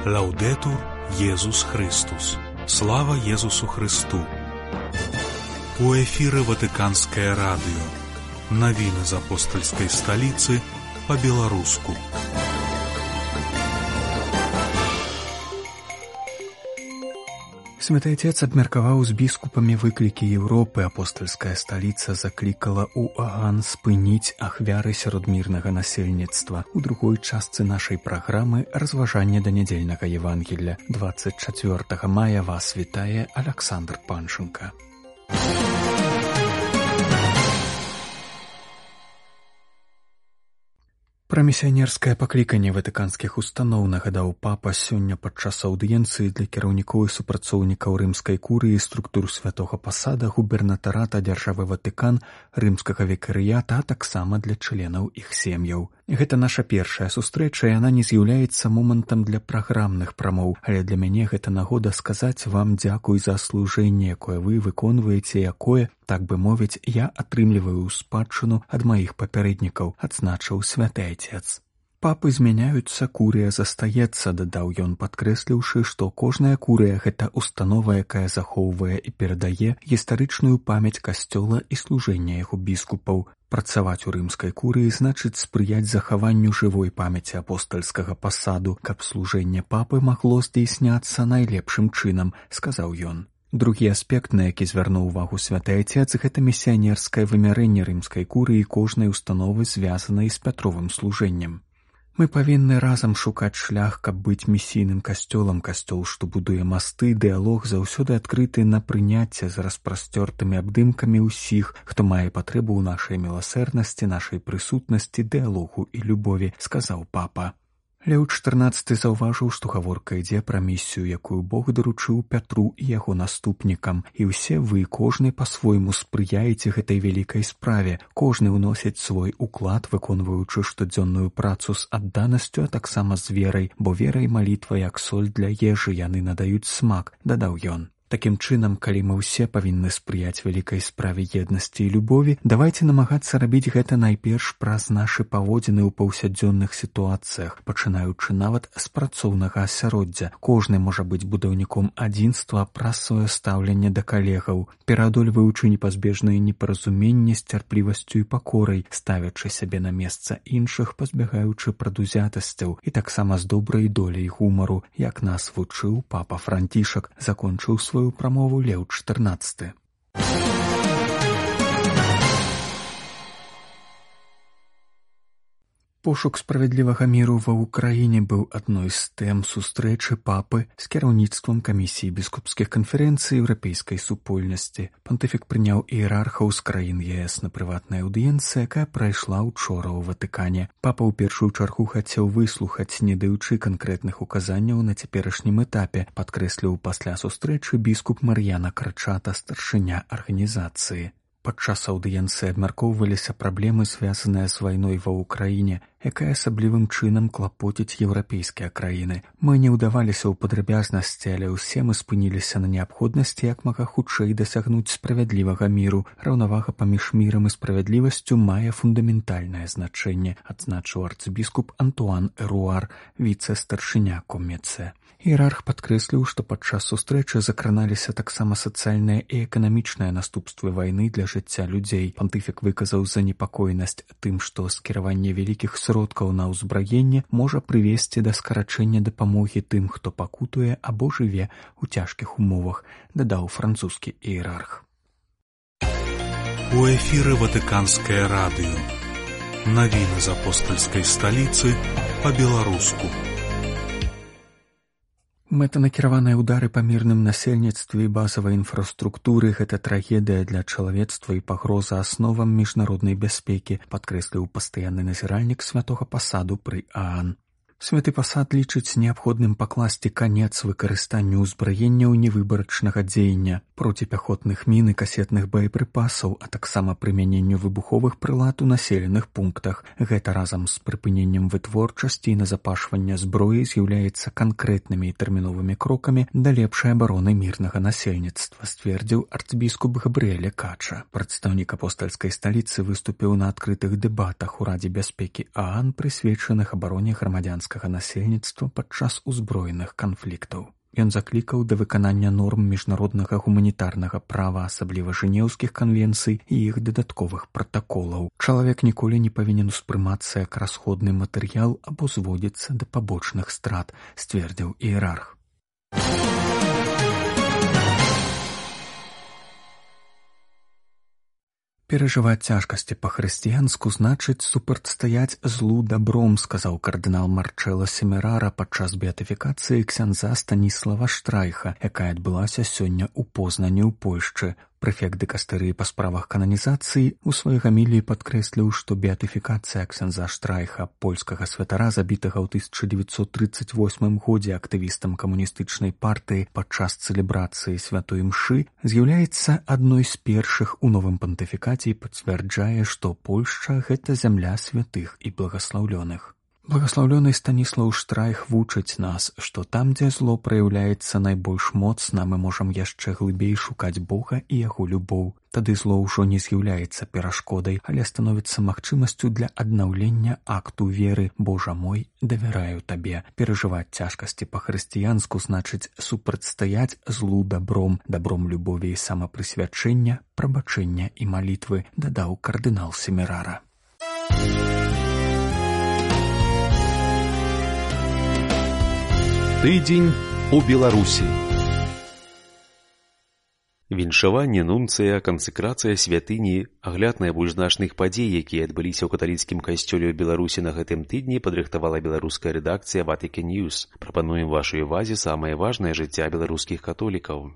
Лаўдэтур Езус Христус. Слава Езусу Христу. У эфіры Ватыканскае радыё. Навіны з апостальскай сталіцы па-беларуску. Святы Отец абмеркаваў з біскупамі выклікі Еўропы. Апостальская сталіца заклікала ў Аган спыніць ахвяры сярод мірнага насельніцтва. У другой частцы нашай праграмы разважанне да нядзельнага Евангелля. 24 мая вас вітае Александр Панченко. Пра місіянерскае пакліканне ватыканскіх устаноў нагадаў папа сёння падчас аўдыенцыі для кіраўнікоў і супрацоўнікаў рымскай курыі, структур святога пасада, губернатарата дзяржавы Ватыкан, рымскага викарыята, а таксама для членаў іх сем'яў. Гэта наша першая сустрэча, і яна не з'яўляецца момантам для праграмных прамоў, але для мяне гэта нагода сказаць вам дзякуй за служэнне, якое вы выконваеце, якое, так бы мовіць, я атрымліваю ў спадчыну ад маіх папярэднікаў, адзначыў святы Отец. Папы змяняюцца, курыя застаецца, дадаў ён, падкрэсліўшы, што кожная курыя – гэта установа, якая захоўвае і перадае гістарычную памяць касцёла і служэння яго біскупаў. Працаваць у рымскай курыі значыць спрыяць захаванню жывой памяці апостальскага пасаду, каб служэнне папы магло здзейсняцца найлепшым чынам, сказаў ён. Другі аспект, на які звярнуў увагу святы Отец, гэта місіянерскае вымярэнне рымскай курыі кожнай установы, звязанай з Пятровым служэннем. Мы павінны разам шукаць шлях, каб быць місійным касцёлам. Касцёл, што будуе масты, дыялог заўсёды адкрыты на прыняцце з распрасцёртымі абдымкамі ўсіх, хто мае патрэбу ў нашай міласэрнасці, нашай прысутнасці, дыялогу і любові, сказаў папа. Леў XIV заўважыў, што гаворка ідзе пра місію, якую Бог даручыў Пятру і яго наступнікам. І ўсе вы, кожны па-свойму спрыяеце гэтай вялікай справе. Кожны ўносіць свой уклад, выконваючы штодзённую працу з адданасцю, а таксама з верай, бо вера і малітва, як соль для ежы, яны надаюць смак, дадаў ён. Такім чынам, калі мы ўсе павінны спрыяць вялікай справе еднасці і любові, давайце намагацца рабіць гэта найперш праз нашы паводзіны ў паўсядзённых сітуацыях, пачынаючы нават з працоўнага асяроддзя. Кожны можа быць будаўніком адзінства праз сваё стаўленне да калегаў, пераадольваючы непазбежныя непаразуменні з цярплівасцю і пакорай, ставячы сябе на месца іншых, пазбягаючы прадузятасцяў і таксама з добрай доляй гумару, як нас вучыў папа Францішак, закончыў сваю прамову Леў XIV. Пошук справядлівага міру ва ўкраіне быў адной з тэм сустрэчы папы з кіраўніцтвам камісіі біскупскіх канферэнцый еўрапейскай супольнасці. Пантыфік прыняў іерархаў з краін ЕС на прыватнай аўдыенцыі, якая прайшла учора ў Ватыкане. Папа ў першую чаргу хацеў выслухаць, не даючы канкрэтных указанняў на цяперашнім этапе, падкрэсліў пасля сустрэчы біскуп Мар'яна Крачата, старшыня арганізацыі. Падчас аўдыенцыі абмяркоўваліся праблемы, звязаныя з вайной ва ўкраіне, якая асаблівым чынам клапоціць еўрапейскія краіны. Мы не ўдаваліся ў падрабязнасці, але ўсе мы спыніліся на неабходнасці як мага хутчэй дасягнуць справядлівага міру. Раўнавага паміж мірам і справядлівасцю мае фундаментальнае значэнне, адзначыў арцыбіскуп Антуан Эруар, віцэ-старшыня Коммецэ. Іерарх падкрэсліў, што падчас сустрэчы закраналіся таксама сацыяльныя і эканамічныя наступствы вайны для жыцця людзей. Пантыфік выказаў занепакоенасць тым, што скіраванне вялікіх сродкаў на ўзбраенне можа прывесці да скарачэння дапамогі тым, хто пакутуе або жыве ў цяжкіх умовах, дадаў французскі іерарх. У эфіры Ватыканскае радыё. Навіны з апостальскай сталіцы па-беларуску. Мэтанакіраваныя ўдары па мірным насельніцтве і базавай інфраструктуры – гэта трагедыя для чалавецтва і пагроза асновам міжнароднай бяспекі, падкрэсліў пастаянны назіральнік святога пасаду пры ААН. Святы пасад лічыць неабходным пакласці канец выкарыстанню ўзбраенняў невыбарачнага дзеяння, проціпяхотных мін і касетных боепрыпасаў, а таксама прымяненню выбуховых прылад у населеных пунктах. Гэта разам з прыпыненнем вытворчасці і назапашвання зброі з'яўляецца канкрэтнымі і тэрміновымі крокамі да лепшай абароны мірнага насельніцтва, сцвердзіў арцыбіскуп Габрыэле Кача. Прадстаўнік апостальскай сталіцы выступіў на адкрытых дэбатах у Радзе бяспекі ААН, прысвечаных абароне грамадзянскага грамадзянскага насельніцтва падчас узброеных канфліктаў. Ён заклікаў да выканання норм міжнароднага гуманітарнага права, асабліва жэнеўскіх канвенцый і іх дадатковых пратаколаў. Чалавек ніколі не павінен успрымацца як расходны матэрыял або зводзіцца да пабочных страт, сцвердзіў іерарх. Перажываць цяжкасці па-хрысціянску значыць супрацьстаяць злу дабром, сказаў кардынал Марчэло Семерара падчас беатыфікацыі ксяндза Станіслава Штрайха, якая адбылася сёння ў Познані ў Польшчы. Прэфект дыкастэрыі па справах кананізацыі у сваёй гаміліі падкрэсліў, што беатыфікацыя ксяндза Штрайха, польскага святара, забітага ў 1938 годзе актывістам камуністычнай партыі падчас цэлебрацыі святой імшы, з'яўляецца адной з першых у новым пантыфікаце і пацвярджае, што Польшча – гэта зямля святых і благаслаўлёных. Благаслаўлёны Станіслаў Штрайх вучыць нас, што там, дзе зло праяўляецца найбольш моцна, мы можам яшчэ глыбей шукаць Бога і яго любоў. Тады зло ўжо не з'яўляецца перашкодай, але становіцца магчымасцю для аднаўлення акту веры. Божа мой, давяраю табе. Перажываць цяжкасці па-хрысціянску значыць супрацьстаяць злу дабром, дабром любові і самапрысвячэння, прабачэння і малітвы, дадаў кардынал Семерара. Тыдзень у Беларусі. Віншаванне нунцыя, кансэкрацыя святыні, агляд найбольш значных падзей, якія адбыліся ў каталіцкім касцёле ў Беларусі на гэтым тыдні, падрыхтавала беларуская рэдакцыя Vatican News. Прапануем вашай увазе самае важнае жыцця беларускіх католікаў.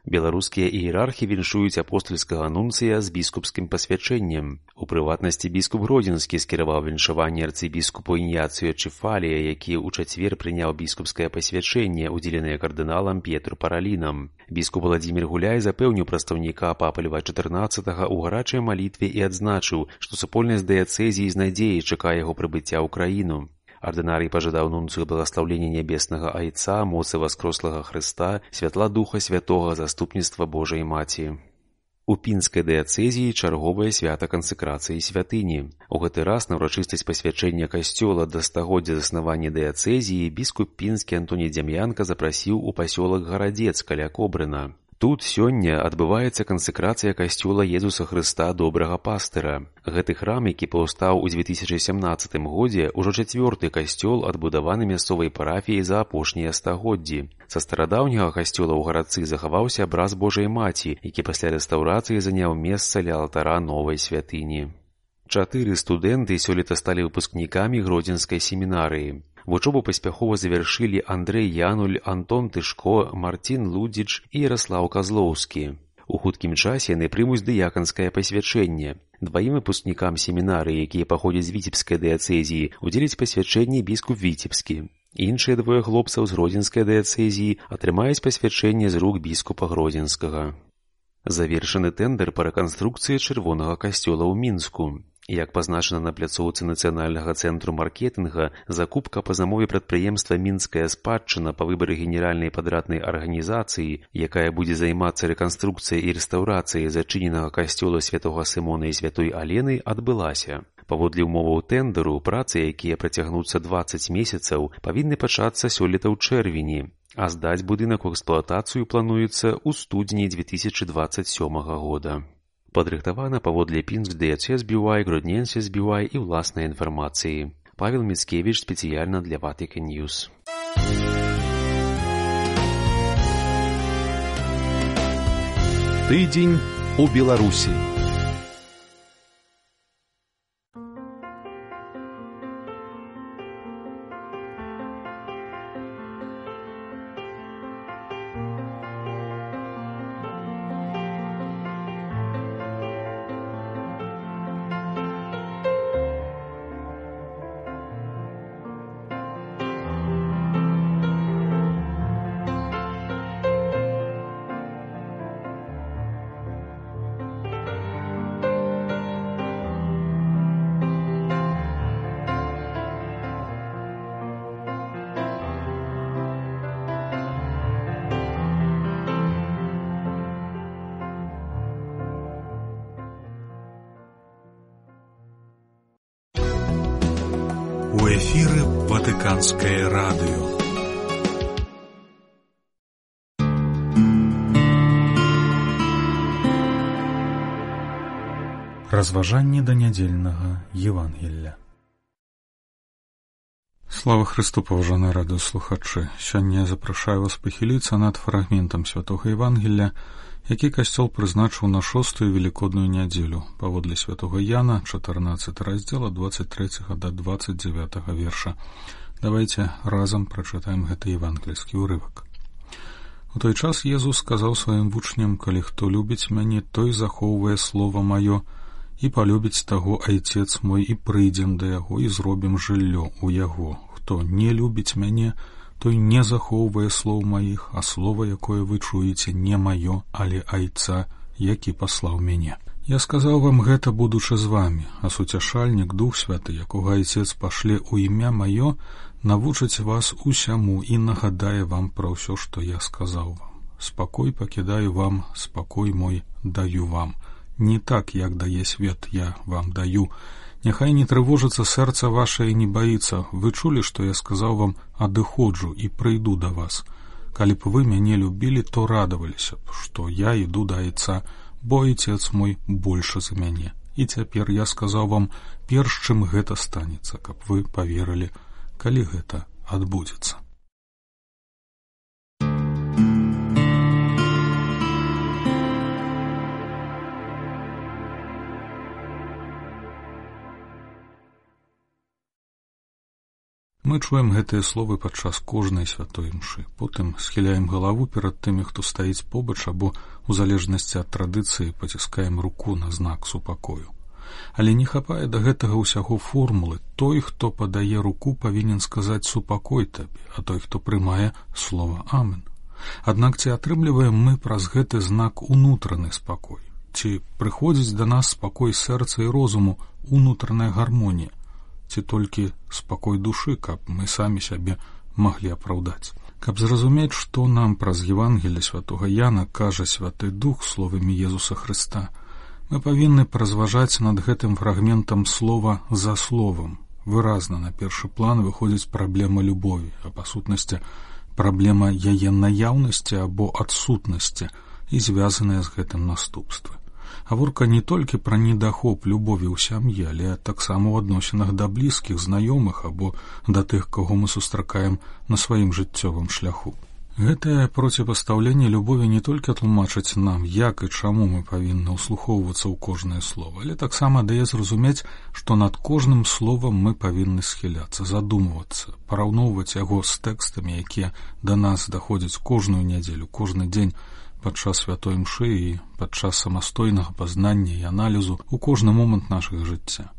Беларускія іерархі віншуюць апостальскага нунцыя з біскупскім пасвячэннем. У прыватнасці біскуп Гродзенскі скіраваў віншаванне арцыбіскупу Ініяцыю Чефалія, які ў чацвер прыняў біскупскае пасвячэнне, удзеленае кардыналам Петру Паралінам. Біскуп Владзімір Гуляй запэўніў прадстаўніка папы Льва XIV ў гарачай малітве і адзначыў, што супольнасць дыяцэзіі з надзеяй чакае яго прыбыцця ў краіну. Ардынарый пажадаў нунцыю благаслаўлення нябеснага Айца, моцы васкрослага Хрыста, святла Духа Святога, заступніцтва Божай Маці. У пінскай дыяцэзіі чарговае свята кансэкрацыі святыні. У гэты раз на ўрачыстасць пасвячэння касцёла да стагоддзя заснавання дыяцэзіі біскуп пінскі Антоній Дзям'янка запрасіў у пасёлак Гарадзец каля Кобрына. Тут сёння адбываецца кансэкрацыя касцёла Езуса Хрыста Добрага Пастыра. Гэты храм, які паўстаў у 2017 годзе, ужо чацвёрты касцёл, адбудаваны мясцовай парафіяй за апошнія стагоддзі. Са старадаўняга касцёла ў гарадцы захаваўся абраз Божай Маці, які пасля рэстаўрацыі заняў месца ля алтара новай святыні. 4 студэнты сёлета сталі выпускнікамі Гродзенскай семінарыі. Вучобу паспяхова завяршылі Андрэй Януль, Антон Тышко, Марцін Лудзіч і Яраслаў Казлоўскі. У хуткім часе яны прымуць дыяканскае пасвячэнне. 2 выпускнікам семінарыі, якія паходзяць з віцебскай дыяцэзіі, удзеляць пасвячэнне біскуп Віцебскі. Іншыя 2 хлопцаў з Гродзенскай дыяцэзіі атрымаюць пасвячэнне з рук біскупа Гродзенскага. Завершаны тэндэр па рэканструкцыі чырвонага касцёла ў Мінску. Як пазначана на пляцоўцы Нацыянальнага цэнтру маркетынга, закупка па замове прадпрыемства «Мінская спадчына» па выбары генеральнай падраднай арганізацыі, якая будзе займацца рэканструкцыяй і рэстаўрацыяй зачыненага касцёла святога Сымона і святой Алены, адбылася. Паводле ўмоваў тэндэру, працы, якія працягнуцца 20 месяцаў, павінны пачацца сёлета ў чэрвені, а здаць будынак у эксплуатацыю плануецца ў студзені 2027 года. Падрыхтавана паводле Пінск Дыяцэз BY, Гродненсіс BY і ўласнай інфармацыі. Павел Міцкевіч спецыяльна для Vatican News. Тыдзень у Беларусі. У эфіры Ватыканскае радыё. Разважанне да нядзельнага Евангелля. Слава Христу, паважаныя радыёслухачы! Сёння я запрашаю вас пахіліцца над фрагментам святога Евангелля, які касцёл прызначыў на 6-ю велікодную нядзелю, паводле святога Яна, 14 раздзел ад 23 да 29 верша. Давайте разам прачытаем гэты евангельскі ўрывак. У той час Езус сказаў сваім вучням: «Калі хто любіць мяне, той захоўвае слова маё, і палюбіць таго Айцец мой, і прыйдзем да яго, і зробім жыллё ў яго. Хто не любіць мяне, той не захоўвае слоў маіх, а слова, якое вы чуеце, не маё, але Айца, які паслаў мяне. Я сказаў вам гэта, будучы з вамі, а суцяшальнік, Дух Святы, якога Айцец пашле ў імя маё, навучыць вас усяму і нагадае вам пра ўсё, што я сказаў вам. Спакой пакідаю вам, спакой мой даю вам. Не так, як дае свет, я вам даю. Няхай не трывожыцца сэрца вашае і не баіцца. Вы чулі, што я сказаў вам: адыходжу і прыйду да вас. Калі б вы мяне любілі, то радаваліся б, што я іду да Айца, бо Айцец мой большы за мяне. І цяпер я сказаў вам, перш чым гэта станецца, каб вы паверылі, калі гэта адбудзецца». Мы чуем гэтыя словы падчас кожнай святой імшы, потым схіляем галаву перад тымі, хто стаіць побач, або, у залежнасці ад традыцыі, паціскаем руку на знак супакою. Але не хапае да гэтага ўсяго формулы. Той, хто падае руку, павінен сказаць «супакой табе», а той, хто прымае, слова «амен». Аднак ці атрымліваем мы праз гэты знак унутраны спакой? Ці прыходзіць да нас спакой сэрца і розуму, унутраная гармонія? Ці толькі спакой душы, каб мы самі сябе маглі апраўдаць? Каб зразумець, што нам праз Евангелле святога Яна кажа Святы Дух словамі Езуса Хрыста, мы павінны паразважаць над гэтым фрагментам слова за словам. Выразна на першы план выходзіць праблема любові, а па сутнасці праблема яе наяўнасці або адсутнасці і звязаная з гэтым наступствы. Гаворка не толькі пра недахоп любові ў сям'і, але таксама ў адносінах да блізкіх, знаёмых або да тых, каго мы сустракаем на сваім жыццёвым шляху. Гэтае проціпастаўленне любові не толькі тлумачыць нам, як і чаму мы павінны ўслухоўвацца ў кожнае слово, але таксама дае зразумець, што над кожным словам мы павінны схіляцца, задумвацца, параўноўваць яго з тэкстамі, якія да нас даходзяць кожную нядзелю, кожны дзень, падчас святой імшы і падчас самастойнага пазнання і аналізу ў кожны момант нашага жыцця.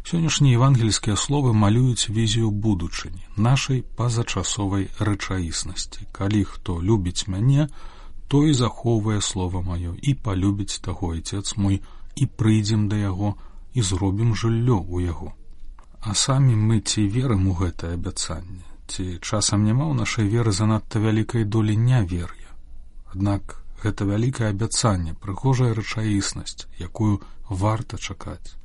Сённяшнія евангельскія словы малююць візію будучыні, нашай пазачасовай рэчаіснасці. Калі хто любіць мяне, той захоўвае слова маё, і палюбіць таго Айцец мой, і прыйдзем да яго, і зробім жыллё ў яго. А самі мы ці верым у гэтае абяцанне? Ці часам няма ў нашай веры занадта вялікай долі нявер'я? Аднак гэта вялікае абяцанне, прыгожая рэчаіснасць, якую варта чакаць.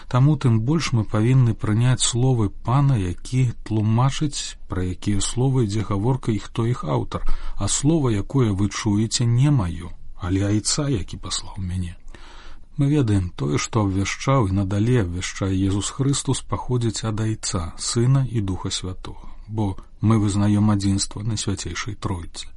Таму тым больш мы павінны прыняць словы Пана, які тлумачыць, пра якія словы ідзе гаворка і хто іх аўтар, а слова, якое вы чуеце, не маё, але Айца, які паслаў мяне. Мы ведаем, тое, што абвяшчаў і надалей абвяшчае Езус Хрыстус, паходзіць ад Айца, Сына і Духа Святога, бо мы вызнаём адзінства Найсвяцейшай Тройцы.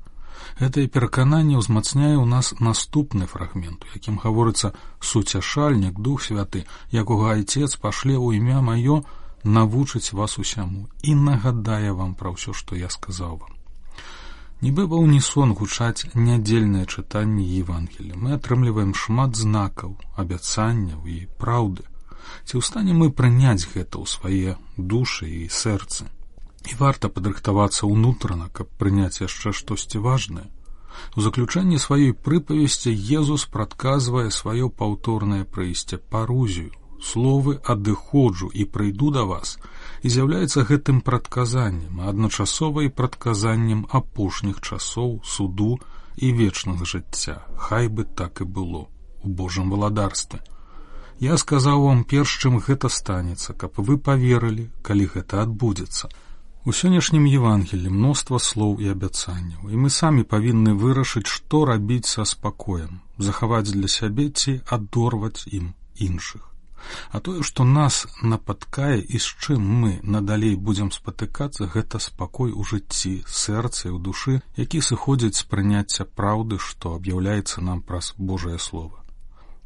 Гэтае перакананне ўзмацняе ў нас наступны фрагмент, у якім гаворыцца: «Суцяшальнік, Дух Святы, якога Айцец пашле ў імя маё, навучыць вас усяму і нагадае вам пра ўсё, што я сказаў вам». Нібы ва ўнісон гучаць нядзельныя чытанні Евангелля. Мы атрымліваем шмат знакаў, абяцанняў і праўды. Ці ў стане мы прыняць гэта ў свае душы і сэрцы? І варта падрыхтавацца ўнутрана, каб прыняць яшчэ штосьці важнае. У заключэнні сваёй прыпавесці Езус прадказвае сваё паўторнае прыйсце, парузію. Словы «адыходжу і прыйду да вас» і з'яўляецца гэтым прадказаннем, а адначасова і прадказаннем апошніх часоў, суду і вечнага жыцця. Хай бы так і было у Божым валадарстве. Я сказаў вам перш, чым гэта станецца, каб вы паверылі, калі гэта адбудзецца. У сённяшнім Евангелі мноства слоў і абяцанняў, і мы самі павінны вырашыць, што рабіць са спакоем, захаваць для сябе ці адорваць ім іншых. А тое, што нас напаткае і з чым мы надалей будзем спатыкацца, гэта спакой у жыцці, сэрцы і ў душы, які сыходзіць з прыняцця праўды, што аб'яўляецца нам праз Божае Слова.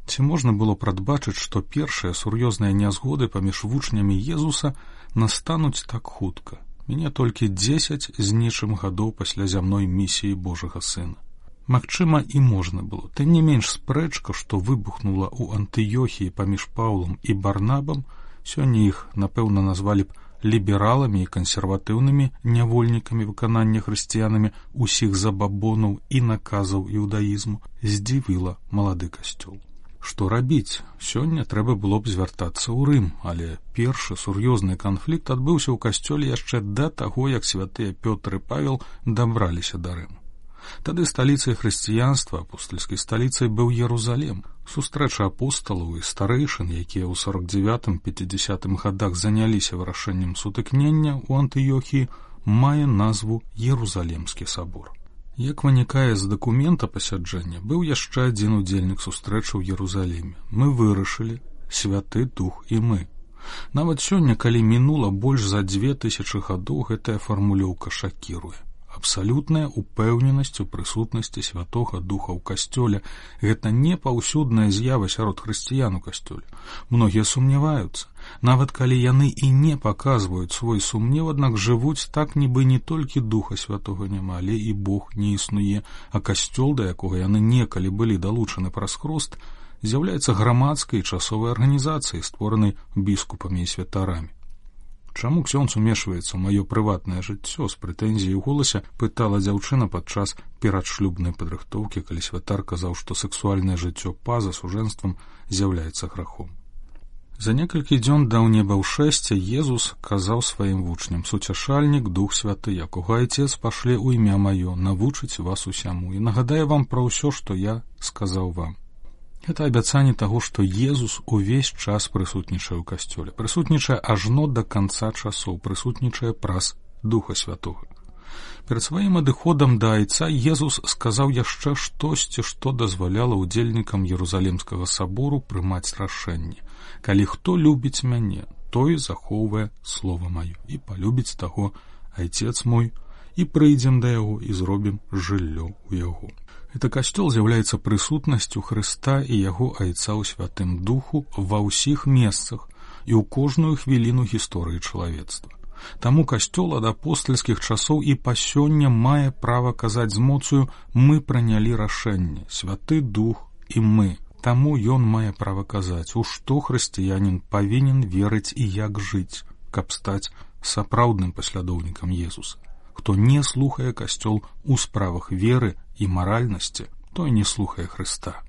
Ці можна было прадбачыць, што першыя сур'ёзныя нязгоды паміж вучнямі Езуса настануць так хутка, мене толькі 10 з нечым гадоў пасля зямной місіі Божага Сына. Магчыма, і можна было. Тым не менш, спрэчка, што выбухнула ў Антыёхіі паміж Паўлам і Барнабам, сёння іх, напэўна, назвалі б лібераламі і кансерватыўнымі нявольнікамі выканання хрысціянамі усіх забабонаў і наказаў іудаізму, здзівіла малады касцёл. Што рабіць? Сёння трэба было б звяртацца ў Рым, але першы сур'ёзны канфлікт адбыўся ў касцёле яшчэ да таго, як святыя Пётр і Павел дабраліся да Рыму. Тады сталіцай хрысціянства, апостальскай сталіцай, быў Ерузалем. Сустрэча апосталаў і старэйшын, якія ў 49-50 гадах заняліся вырашэннем сутыкнення ў Антыёхіі, мае назву Ерузалемскі сабор. Як вынікае з дакумента пасяджэння, быў яшчэ адзін удзельнік сустрэчы ў Ерузалеме. Мы вырашылі, Святы Дух і мы. Нават сёння, калі мінула больш за 2000 гадоў, гэтая фармулёўка шакіруе. Абсалютная упэўненасць у прысутнасці Святога Духа ў касцёле. Гэта не паўсюдная з'ява сярод хрысціян у касцёле. Многія сумняваюцца. Нават калі яны і не паказваюць свой сумнеў, аднак жывуць так, нібы не толькі Духа Святога няма, але і Бог не існуе, а касцёл, да якога яны некалі былі далучаны праз хрост, з'яўляецца грамадскай і часовай арганізацыяй, створанай біскупамі і святарамі. Чаму ксёндз умешваецца ў маё прыватнае жыццё? З прэтэнзіяй у голасе пытала дзяўчына падчас перадшлюбнай падрыхтоўкі, калі святар казаў, што сексуальнае жыццё па-за сужэнствам з'яўляецца грахом. За некалькі дзён да небаўшэсця Езус казаў сваім вучням: «Суцяшальнік, Дух Святы, якога Айцец пашле ў імя маё, навучыць вас усяму і нагадае вам пра ўсё, што я сказаў вам». Гэта абяцанне таго, што Езус увесь час прысутнічае ў касцёле, прысутнічае ажно да канца часоў, прысутнічае праз Духа Святога. Перад сваім адыходам да Айца Езус сказаў яшчэ штосьці, што дазваляла ўдзельнікам Ерузалемскага сабору прымаць рашэнне. «Калі хто любіць мяне, той захоўвае слова маё, і палюбіць таго Айцец мой, і прыйдзем да яго, і зробім жыллё ў яго». Гэта касцёл з'яўляецца прысутнасцю Хрыста і яго Айца ў Святым Духу ва ўсіх месцах і ў кожную хвіліну гісторыі чалавецтва. Таму касцёл ад апостальскіх часоў і па сёння мае права казаць з моцаю: «Мы прынялі рашэнне, Святы Дух і мы». Таму ён мае права казаць, у што хрысціянін павінен верыць і як жыць, каб стаць сапраўдным паслядоўнікам Езуса. Хто не слухае касцёл у справах веры і маральнасці, той не слухае Хрыста.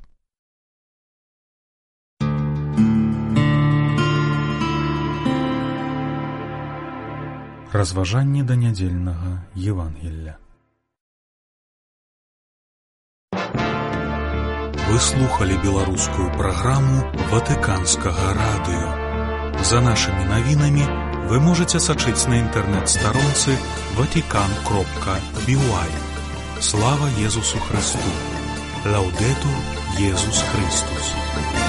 Разважанне да нядзельнага Евангелля. Вы слухали беларускую праграму Ватыканскага радыё. За нашымі навінамі вы можете сачыць на інтэрнэт-старонцы vatican.by. Слава Езусу Христу! Лаудетур Езус Христус!